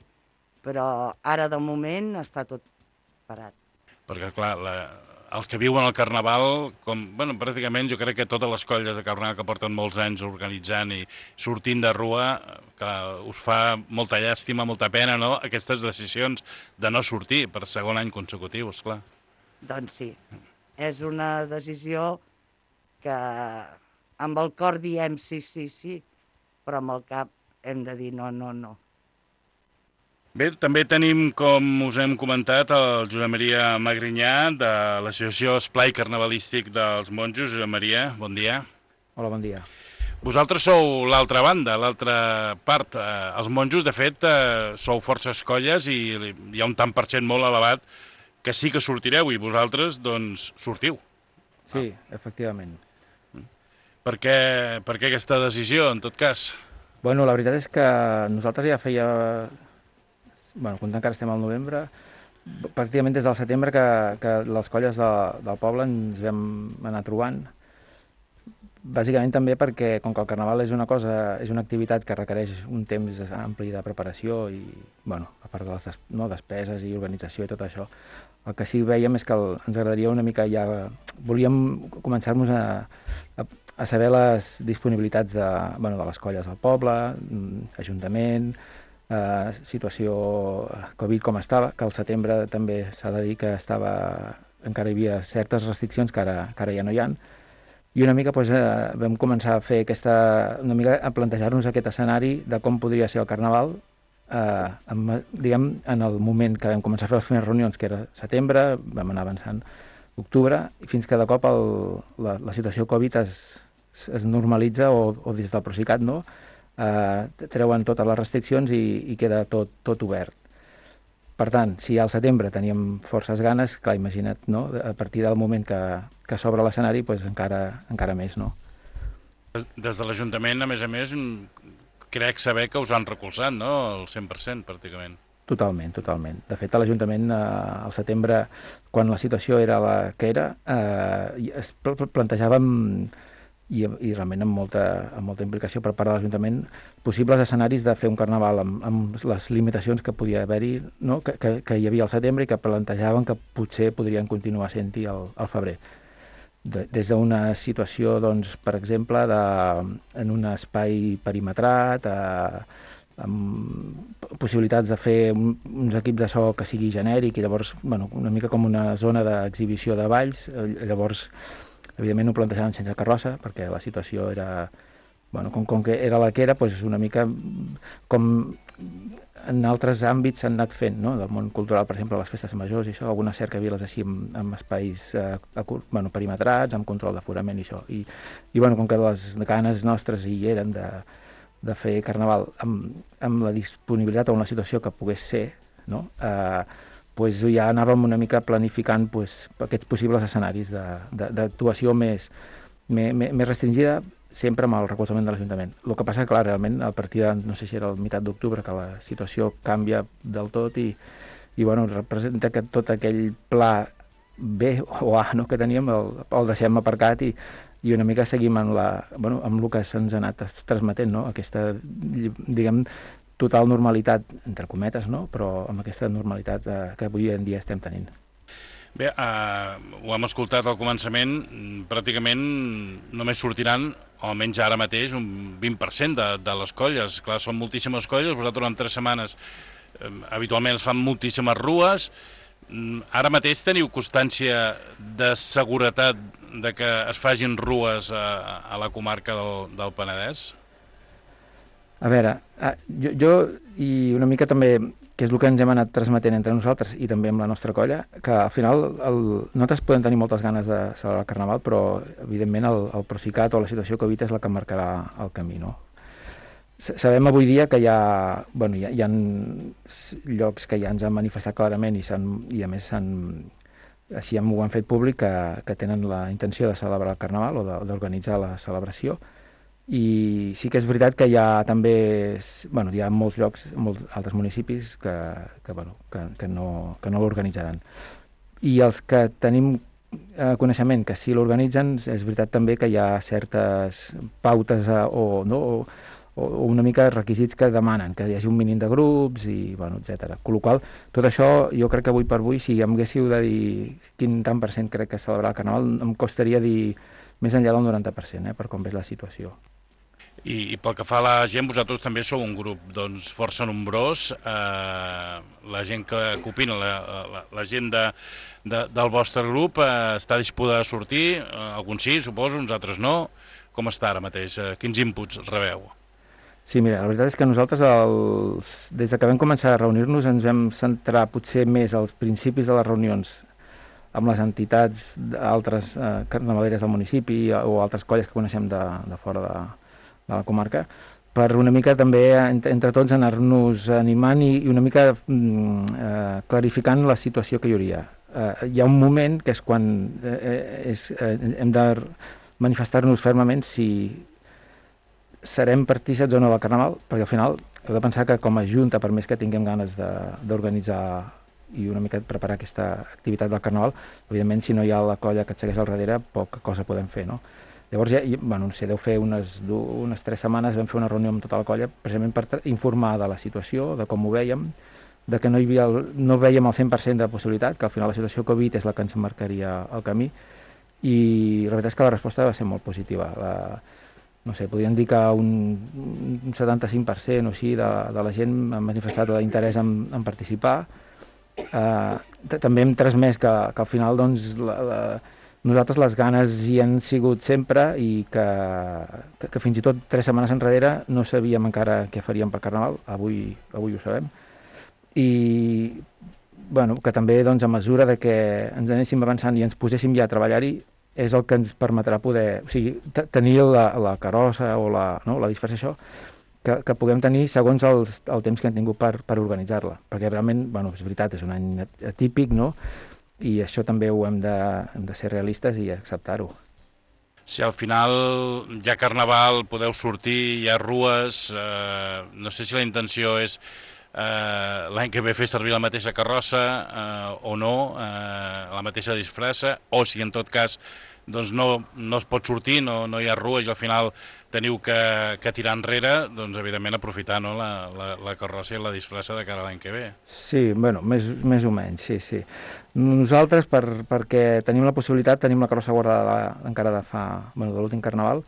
però ara de moment està tot parat. Perquè, clar, la, els que viuen al Carnaval, com, bueno, pràcticament jo crec que totes les colles de Carnaval que porten molts anys organitzant i sortint de rua, que us fa molta llàstima, molta pena, no?, aquestes decisions de no sortir per segon any consecutiu, esclar. Doncs sí, és una decisió que amb el cor diem sí, sí, sí, però amb el cap hem de dir no, no, no. Bé, també tenim, com us hem comentat, el Josep Maria Magrinyà, de l'Associació Esplai Carnavalístic dels Monjos. Josep Maria, bon dia. Hola, bon dia. Vosaltres sou l'altra banda, l'altra part. Eh, els monjos, de fet, eh, sou forces colles i hi ha un tant per cent molt elevat que sí que sortireu i vosaltres, doncs, sortiu. Sí, ah. efectivament. Per què, per què aquesta decisió, en tot cas? Bueno, la veritat és que nosaltres ja feia... Bueno, quan encara estem al novembre, pràcticament des del setembre que, que les colles de, del poble ens vam anar trobant. Bàsicament també perquè, com que el Carnaval és una cosa, és una activitat que requereix un temps ampli de preparació i, bueno, a part de les des, no, despeses i organització i tot això, el que sí veiem és que el, ens agradaria una mica ja... Volíem començar-nos a, a, a saber les disponibilitats de, bueno, de les colles del poble, ajuntament, eh, situació Covid com estava, que al setembre també s'ha de dir que estava, encara hi havia certes restriccions que ara, que ara ja no hi ha. I una mica doncs, eh, vam començar a fer aquesta, una mica a plantejar-nos aquest escenari de com podria ser el Carnaval, eh, amb, diguem, en el moment que vam començar a fer les primeres reunions, que era setembre, vam anar avançant octubre, fins que de cop el, la, la situació Covid es, es normalitza, o, o des del Procicat, no? Eh, treuen totes les restriccions i, i queda tot, tot obert. Per tant, si al setembre teníem forces ganes, clar, imagina't, no? A partir del moment que, que s'obre l'escenari, doncs encara, encara més, no? Des de l'Ajuntament, a més a més, crec saber que us han recolzat, no?, el cent per cent, pràcticament. Totalment, totalment. De fet, a l'Ajuntament, eh, al setembre, quan la situació era la que era, eh, es plantejàvem, i, i realment amb molta, amb molta implicació per part de l'Ajuntament, possibles escenaris de fer un Carnaval amb, amb les limitacions que podia haver-hi, no?, que, que, que hi havia al setembre i que plantejaven que potser podrien continuar sent-hi al, al febrer. De, des d'una situació, doncs, per exemple, de, en un espai perimetrat, eh, amb possibilitats de fer un, uns equips de so que sigui genèric i llavors, bueno, una mica com una zona d'exhibició de balls. Llavors, evidentment ho plantejaven sense carrossa, perquè la situació era, bueno, com, com que era la que era, doncs una mica com en altres àmbits s'han anat fent, no?, del món cultural, per exemple, les festes majors i això, algunes cercaviles així amb, amb espais eh, bueno, perimetrats, amb control d'aforament i això. I, i bueno, com que les ganes nostres hi eren de, de fer Carnaval amb, amb la disponibilitat o en la situació que pogués ser, no?, eh, pues ja anàvem una mica planificant pues, aquests possibles escenaris d'actuació més, més, més restringida, sempre amb el recolzament de l'Ajuntament. El que passa, clar, realment, a partir de, no sé si era el meitat d'octubre, que la situació canvia del tot i, i bueno, representa que tot aquell pla B o A, no?, que teníem el, el deixem aparcat i, i una mica seguim amb, la, bueno, amb el que se'ns ha anat transmetent, no?, aquesta, diguem, total normalitat, entre cometes, no?, però amb aquesta normalitat eh, que avui en dia estem tenint. Bé, eh, ho hem escoltat al començament, pràcticament només sortiran, o almenys ara mateix, un vint per cent de, de les colles. Clar, són moltíssimes colles, vosaltres en tres setmanes eh, habitualment es fan moltíssimes rues. Ara mateix teniu constància de seguretat de que es facin rues a, a la comarca del, del Penedès? A veure, jo, jo i una mica també, que és el que ens hem anat transmetent entre nosaltres i també amb la nostra colla, que al final el, nosaltres podem tenir moltes ganes de celebrar el Carnaval, però evidentment el, el Procicat o la situació Covid és la que marcarà el camí, no? Sabem avui dia que hi ha, bueno, hi ha, hi ha llocs que ja ens han manifestat clarament i, i a més s'han, així ho han fet públic, que, que tenen la intenció de celebrar el Carnaval o d'organitzar la celebració. I sí que és veritat que hi ha també, bueno, hi ha molts llocs, molts altres municipis que, que, bueno, que, que no, que no l'organitzaran. I els que tenim eh, coneixement que sí l'organitzen, és veritat també que hi ha certes pautes eh, o, no, o, o, o una mica requisits que demanen, que hi hagi un mínim de grups i, bueno, etcètera. Con la qual cosa, tot això, jo crec que avui per avui, si em haguéssiu de dir quin tant per cent crec que celebrar el Carnaval, em costaria dir més enllà del noranta per cent, eh, per com és la situació. I, I pel que fa a la gent, vosaltres també sou un grup doncs, força nombrós. Eh, la gent que, que opina, la, la, la gent de, de, del vostre grup eh, està disposada a sortir, eh, alguns sí, suposo, uns altres no. Com està ara mateix? Eh, quins inputs rebeu? Sí, mira, la veritat és que nosaltres, els, des de que vam començar a reunir-nos, ens vam centrar potser més als principis de les reunions amb les entitats altres eh, carnavaleres del municipi o altres colles que coneixem de, de fora de, de la comarca, per una mica també entre, entre tots anar-nos animant i, i una mica mm, eh, clarificant la situació que hi hauria. Eh, hi ha un moment que és quan eh, és, eh, hem de manifestar-nos fermament si serem partícips o no del Carnaval, perquè al final heu de pensar que com a Junta, per més que tinguem ganes d'organitzar i una mica preparar aquesta activitat del Carnaval, evidentment si no hi ha la colla que et segueix al darrere, poca cosa podem fer, no? Llavors, ja, bueno, no sé, deu fer unes, unes tres setmanes vam fer una reunió amb tota la colla precisament per informar de la situació, de com ho vèiem, de que no, hi havia el, no vèiem el cent per cent de possibilitat, que al final la situació Covid és la que ens marcaria el camí, i la veritat és que la resposta va ser molt positiva. La, no sé, podríem dir que un, un setanta-cinc per cent o així de, de la gent ha manifestat l'interès en, en participar. Eh, també hem transmès que, que al final, doncs, la, la, nosaltres les ganes hi han sigut sempre i que, que, que fins i tot tres setmanes enrere no sabíem encara què faríem per Carnaval, avui, avui ho sabem, i bueno, que també doncs, a mesura de que ens anéssim avançant i ens poséssim ja a treballar-hi és el que ens permetrà poder, o sigui, tenir la, la carrossa o la, no, la disfressa, que, que puguem tenir segons el, el temps que hem tingut per, per organitzar-la, perquè realment, bueno, és veritat, és un any atípic, no?, i això també ho hem de, hem de ser realistes i acceptar-ho. Si al final hi ha Carnaval, podeu sortir, hi ha rues, eh, no sé si la intenció és eh, l'any que ve fer servir la mateixa carrossa eh, o no, eh, la mateixa disfressa, o si en tot cas doncs no, no es pot sortir, no, no hi ha rues i al final teniu que, que tirar enrere, doncs evidentment aprofitar, no, la, la, la carrossa i la disfressa de cara a l'any que ve. Sí, bueno, més, més o menys, sí, sí. Nosaltres, per, perquè tenim la possibilitat, tenim la carrossa guardada encara de fa, bueno, de l'últim Carnaval,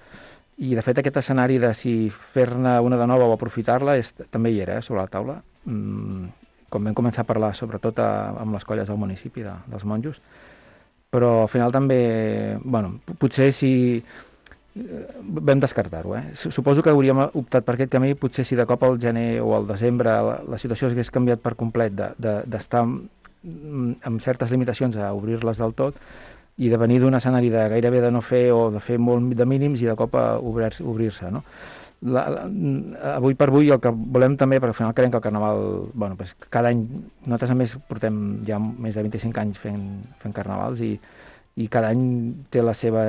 i de fet aquest escenari de si fer-ne una de nova o aprofitar-la és, també hi era, eh, sobre la taula. Mm, com vam començar a parlar sobretot a, amb les colles del municipi, de, dels monjos, però al final també, bueno, potser si vam descartar-ho, eh? Suposo que hauríem optat per aquest camí, potser si de cop al gener o al desembre la, la situació s'hagués canviat per complet d'estar de, de, amb certes limitacions a obrir-les del tot i de venir d'un escenari de gairebé de no fer o de fer molt de mínims i de cop a obrir-se, obrir-se, no? La, la, avui per avui el que volem també, perquè al final creiem que el Carnaval, bueno, pues cada any, nosaltres a més portem ja més de vint-i-cinc anys fent, fent Carnavals i i cada any té la seva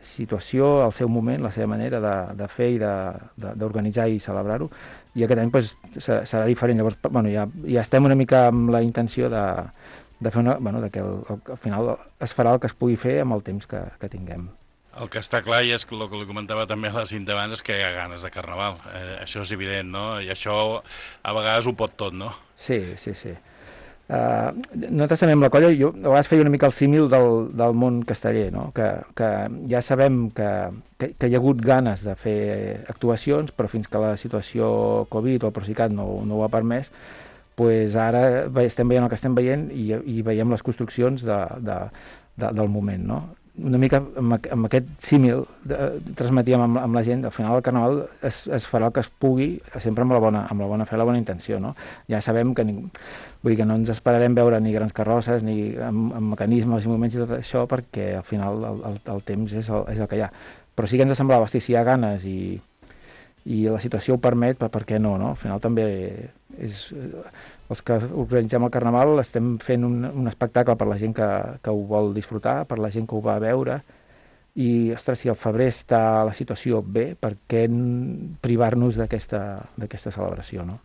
situació, el seu moment, la seva manera de, de fer i d'organitzar i celebrar-ho, i aquest any pues, serà, serà diferent. Llavors, bueno, ja, ja estem una mica amb la intenció de, de fer una, bueno, de que el, al final es farà el que es pugui fer amb el temps que, que tinguem. El que està clar, i és el que li comentava també a la Cinta abans, és que hi ha ganes de Carnaval. Eh, això és evident, no? I això a vegades ho pot tot, no? Sí, sí, sí. Uh, nosaltres també amb la colla, jo a vegades feia una mica el símil del, del món casteller, no? que, que ja sabem que, que, que hi ha hagut ganes de fer actuacions, però fins que la situació Covid o el Procicat no, no ho ha permès, pues ara estem veient el que estem veient i, i veiem les construccions de, de, de, del moment, no? Una mica amb, amb aquest símil de, transmetíem amb, amb la gent, al final el Carnaval es, es farà el que es pugui, sempre amb la bona, amb la bona fe i la bona intenció, no? Ja sabem que, ningú, vull dir que no ens esperarem veure ni grans carrosses, ni amb, amb mecanismes i moments i tot això, perquè al final el, el, el temps és el, és el que hi ha. Però sí que ens semblava, hosti, si hi ha ganes i, i la situació ho permet, per, per què no, no? Al final també és... Els que organitzem el Carnaval estem fent un, un espectacle per la gent que, que ho vol disfrutar, per la gent que ho va veure, i, ostres, si al febrer està la situació bé, per què privar-nos d'aquesta d'aquesta celebració, no?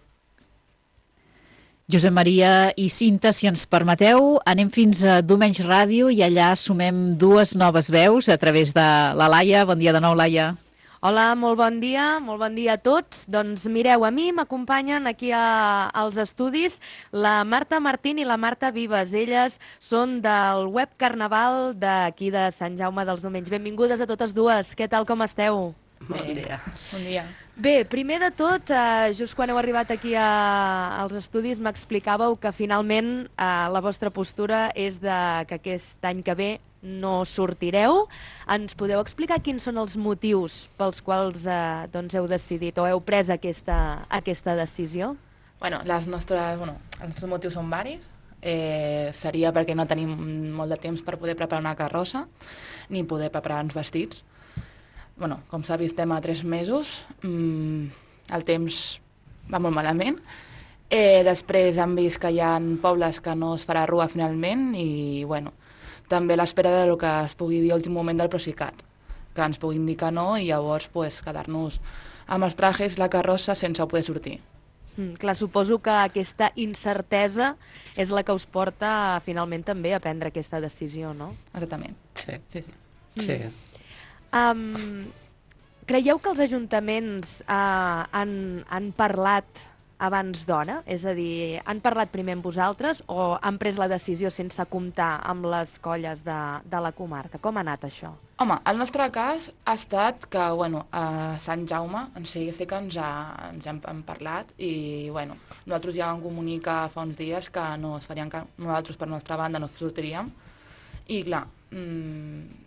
Josep Maria i Cinta, si ens permeteu, anem fins a Domenys Ràdio i allà sumem dues noves veus a través de la Laia. Bon dia de nou, Laia. Hola, molt bon dia, molt bon dia a tots. Doncs mireu, a mi m'acompanyen aquí a, als estudis la Marta Martín i la Marta Vives. Elles són del web Carnaval d'aquí de Sant Jaume dels Domenys. Benvingudes a totes dues. Què tal, com esteu? Bon dia. Bon dia. Bé, primer de tot, eh, just quan heu arribat aquí a, als estudis m'explicàveu que finalment eh, la vostra postura és de que aquest any que ve no sortireu. Ens podeu explicar quins són els motius pels quals eh, doncs heu decidit o heu pres aquesta, aquesta decisió? Bueno, les nostres, bueno, els nostres motius són varis. Eh, seria perquè no tenim molt de temps per poder preparar una carrossa ni poder preparar uns vestits. Bueno, com s'ha vist, estem a tres mesos. Mm, el temps va molt malament. Eh, després hem vist que hi ha pobles que no es farà rua finalment i, bueno, també l'espera del que es pugui dir a l'últim moment del Procicat, que ens puguin dir que no i llavors pues, quedar-nos amb els trajes, la carrossa, sense poder sortir. Mm, clar, suposo que aquesta incertesa és la que us porta finalment també a prendre aquesta decisió, no? Exactament. Sí. Sí, sí. Mm. Sí. Um, creieu que els ajuntaments uh, han, han parlat abans d'hora? És a dir, han parlat primer amb vosaltres o han pres la decisió sense comptar amb les colles de, de la comarca? Com ha anat això? Home, el nostre cas ha estat que, bueno, a Sant Jaume, en sí, sí que ens, ha, ens hem, hem parlat i, bueno, nosaltres ja vam comunicar fa uns dies que no es farien, que nosaltres per nostra banda no sortiríem i, clar, mmm,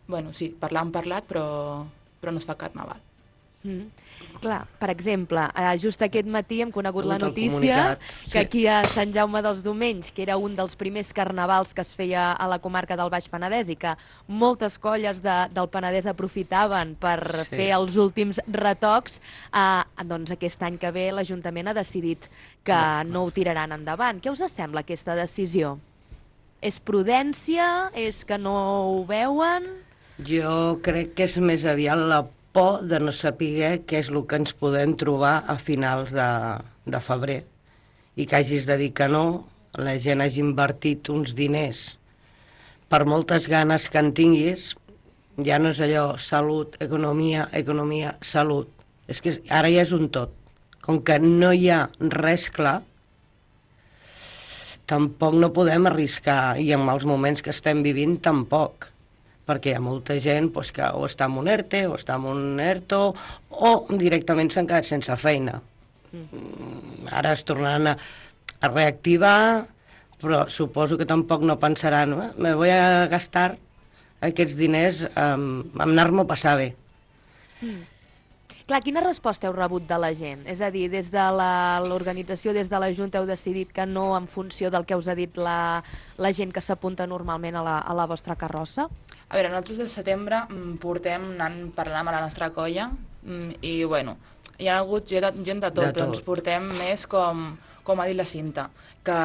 bueno, sí, parlar hem parlat, però, però no es fa carnaval. Mm. Clar, per exemple, eh, just aquest matí hem conegut la notícia comunicat, sí. que aquí a Sant Jaume dels Domenys, que era un dels primers carnavals que es feia a la comarca del Baix Penedès i que moltes colles de, del Penedès aprofitaven per Sí. fer els últims retocs, eh, doncs aquest any que ve l'Ajuntament ha decidit que no, no ho tiraran endavant. Què us sembla aquesta decisió? És prudència? És que no ho veuen? Jo crec que és més aviat la por de no saber què és el que ens podem trobar a finals de, de febrer i que hagis de dir que no, la gent hagi invertit uns diners per moltes ganes que en tinguis, ja no és allò salut, economia, economia, salut. És que ara ja és un tot. Com que no hi ha res clar, tampoc no podem arriscar, i en els moments que estem vivint tampoc, perquè hi ha molta gent pues, que o està en un ERTE o està en un ERTO o directament s'han quedat sense feina. Mm. Ara es tornaran a, a reactivar, però suposo que tampoc no pensaran eh? me voy a gastar aquests diners um, en anar-m'ho a passar bé. Mm. Clar, quina resposta heu rebut de la gent? És a dir, des de l'organització, des de la Junta, heu decidit que no en funció del que us ha dit la, la gent que s'apunta normalment a la, a la vostra carrossa? A veure, nosaltres des de setembre mm, portem anant parlant amb la nostra colla mm, i, bueno, hi ha hagut gent de, gent de tot, De però tot. ens portem més com, com ha dit la Cinta, que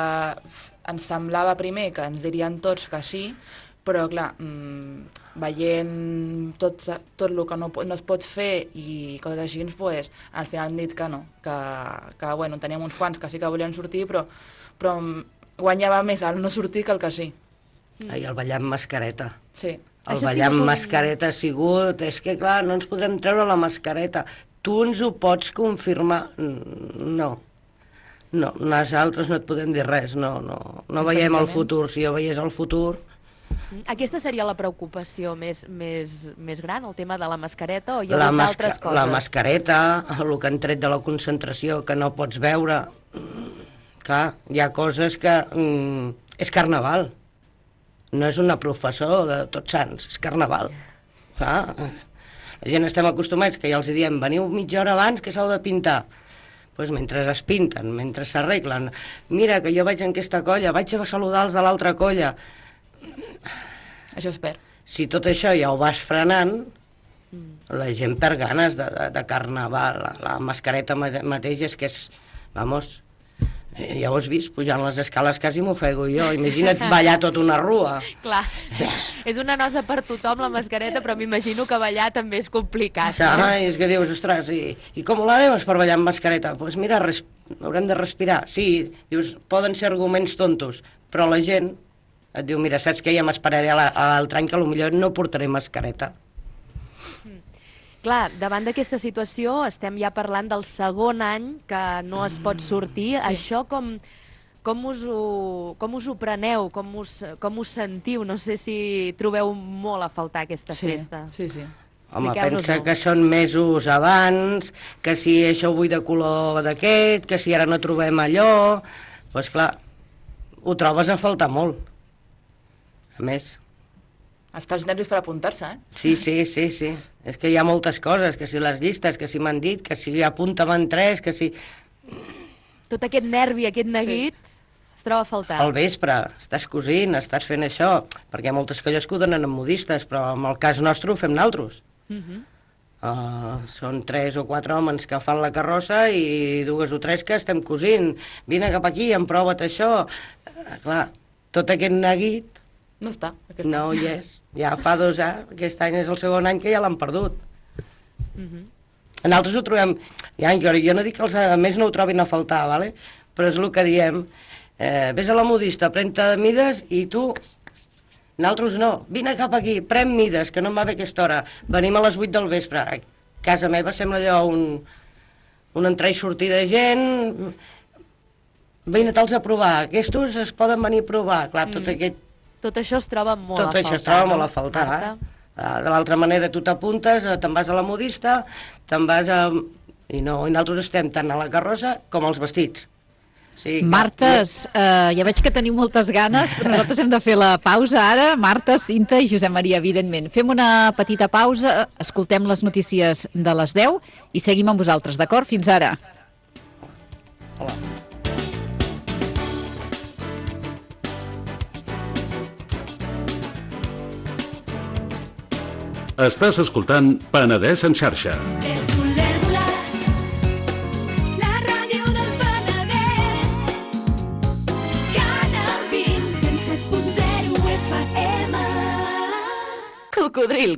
f, ens semblava primer que ens dirien tots que sí, però, clar, mmm, veient tot, tot el que no, no es pot fer i coses així, pues, al final han dit que no, que, que bueno, teníem uns quants que sí que volien sortir, però, però guanyava més el no sortir que el que sí. Mm. Ai, el ballar amb mascareta. Sí. El Això ha ballar amb sigut un- mascareta ha sigut... És que, clar, no ens podrem treure la mascareta. Tu ens ho pots confirmar? Mm, No. No, nosaltres no et podem dir res, no, no, no Els veiem el ajuntaments? futur. Si jo veiés el futur... Aquesta seria la preocupació més, més, més gran, el tema de la mascareta, o hi ha La, hagut masca altres coses? la mascareta, el que han tret de la concentració, que no pots veure... Mm, Clar, hi ha coses que... Mm, és carnaval. No és una professor de Tots Sants, és carnaval. Clar, la gent estem acostumats que ja els diem veniu mitja hora abans que s'heu de pintar. Pues mentre es pinten, mentre s'arreglen, mira que jo vaig en aquesta colla, vaig a saludar els de l'altra colla. Això es perd. Si tot això ja ho vas frenant, la gent perd ganes de, de, de carnaval. La, la mascareta mate- mateix és que és... Vamos, eh, ja ho has vist, pujant les escales quasi m'ofego jo. Imagina't ballar tota una rua. Clar, és una nosa per tothom la mascareta, però m'imagino que ballar també és complicat. Ah, és que dius, ostres, i, i com ho farem per ballar amb mascareta? Doncs pues mira, res, haurem de respirar. Sí, dius, poden ser arguments tontos, però la gent et diu, mira, saps què? Ja m'esperaré a la- a l'altre any que potser no portaré mascareta. Clar, davant d'aquesta situació estem ja parlant del segon any que no es pot sortir. Sí. Això com, com, us ho, com us ho preneu, com us, com us sentiu? No sé si trobeu molt a faltar aquesta sí, festa. Sí, sí. Home, pensa que són mesos abans, que si això ho vull de color d'aquest, que si ara no trobem allò... Doncs clar, ho trobes a faltar molt. A més... Està els nervis per apuntar-se, eh? Sí, sí, sí, sí. És que hi ha moltes coses, que si les llistes, que si m'han dit, que si apuntaven tres, que si... Tot aquest nervi, aquest neguit, sí. Es troba a faltar. Al vespre, estàs cosint, estàs fent això, perquè hi ha moltes colles que ho donen amb modistes, però en el cas nostre ho fem naltros. Uh-huh. Uh, són tres o quatre homes que fan la carrossa i dues o tres que estem cosint. Vine cap aquí, emprova't això. Uh, clar, tot aquest neguit... No està. No hi és. Ja fa dos anys, aquest any és el segon any que ja l'han perdut. Uh-huh. Nosaltres ho trobem... Ja, jo, jo no dic que els altres no ho trobin a faltar, ¿vale? Però és el que diem. Eh, ves a la modista, pren-te mides i tu... Nosaltres no. Vine cap aquí, pren mides, que no em va bé aquesta hora. Venim a les vuit del vespre. A casa meva sembla allò un, un entrar i sortir de gent... Vine-te'ls a provar. Aquests es poden venir a provar. Clar, tot mm. aquest... Tot això es troba molt Tot a faltar. Tot això es troba no? molt a faltar. Eh? De l'altra manera tu t'apuntes, te'n vas a la modista, te'n vas a... I no, i nosaltres estem tant a la carrossa com als vestits. Sí, Martes, eh, ja veig que teniu moltes ganes, però nosaltres hem de fer la pausa ara. Marta, Cinta i Josep Maria, evidentment. Fem una petita pausa, escoltem les notícies de les deu i seguim amb vosaltres, d'acord? Fins ara. Hola. Estàs escoltant Penedès en xarxa. Cocodril